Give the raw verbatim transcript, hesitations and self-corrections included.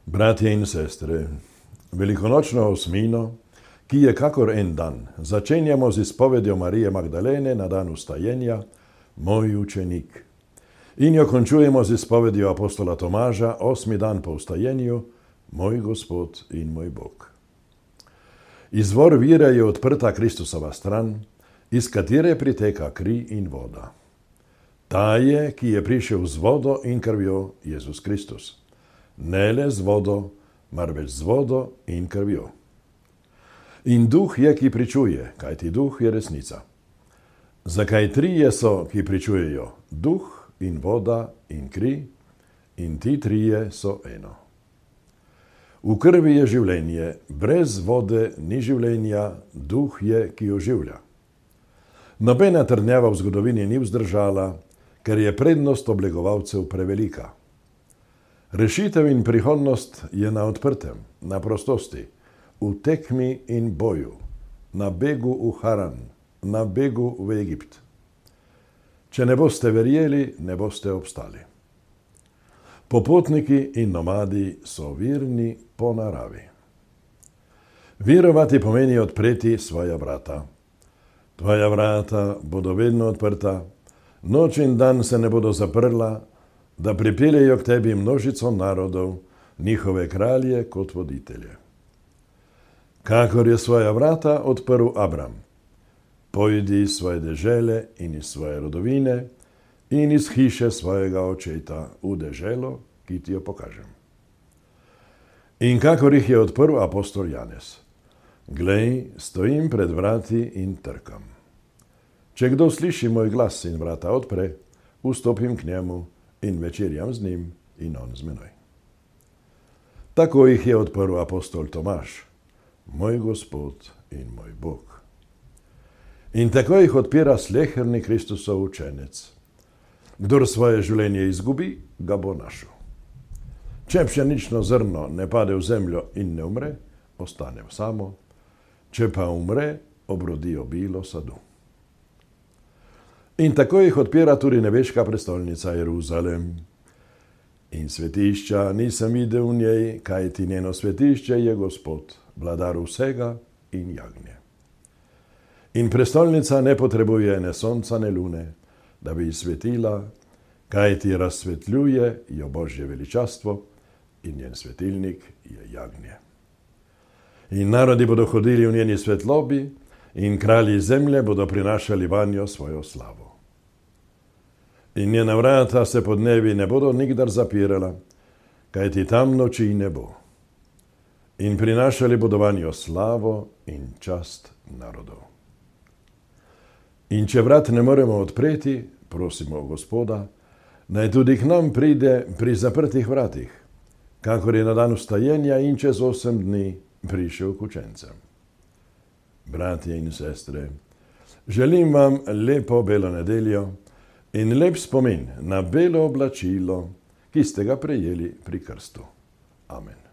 Bratje in sestre, velikonočno osmino, ki je kakor en dan, začenjamo z izpovedjo Marije Magdalene na dan vstajenja, moj učenik. In jo končujemo z izpovedjo apostola Tomaža, osmi dan po vstajenju, moj Gospod in moj Bog. Izvor vire je odprta Kristusova stran, iz katere priteka kri in voda. Ta je, ki je prišel z vodo in krvjo, Jezus Kristus. Ne le z vodo, marveč z vodo in krvjo. In duh je, ki pričuje, kajti duh je resnica. Zakaj trije so, ki pričujejo? Duh in voda in kri, in ti trije so eno. V krvi je življenje, brez vode ni življenja, duh je, ki oživlja. Nobena trdnjava v zgodovini ni vzdržala, ker je prednost oblegovalcev prevelika. Rešitev in prihodnost je na odprtem, na prostosti, v tekmi in boju, na begu v Haran, na begu v Egipt. Če ne boste verjeli, ne boste obstali. Popotniki in nomadi so virni po naravi. Verovati pomeni odpreti svoja vrata. Tvoja vrata bodo vedno odprta, noč in dan se ne bodo zaprla, da pripeljejo k tebi množico narodov, njihove kralje kot voditelje. Kakor je svoja vrata odprl Abram, pojdi iz svoje dežele in iz svoje rodovine in iz hiše svojega očeta v deželo, ki ti jo pokažem. In kakor jih je odprl apostol Janez, glej, stojim pred vrati in trkam. Če kdo sliši moj glas in vrata odpre, vstopim k njemu in večerjam z njim in on z menoj. Tako jih je odprl apostol Tomaž, moj Gospod in moj Bog. In tako jih odpira sleherni Kristusov učenec. Kdor svoje življenje izgubi, ga bo našel. Če pšenično zrno ne pade v zemljo in ne umre, ostane samo, če pa umre, obrodi obilo sadu. In tako jih odpira tudi nebeška prestolnica Jeruzalem. In svetišča nisem videl v njej, kajti njeno svetišče je Gospod, vladar vsega in jagnje. In prestolnica ne potrebuje ne sonca, ne lune, da bi svetila, kajti razsvetljuje jo Božje veličastvo in njen svetilnik je jagnje. In narodi bodo hodili v njeni svetlobi in kralji zemlje bodo prinašali vanjo svojo slavo. In njena vrata se podnevi ne bodo nikdar zapirala, kajti tam noči ne bo. In prinašali bodo vanjo slavo in čast narodov. In če vrat ne moremo odpreti, prosimo Gospoda, naj tudi k nam pride pri zaprtih vratih, kakor je na dan vstajenja in čez osem dni prišel k učencem. Bratje in sestre, želim vam lepo belo nedeljo in lep spomin na belo oblačilo, ki ste ga prejeli pri krstu. Amen.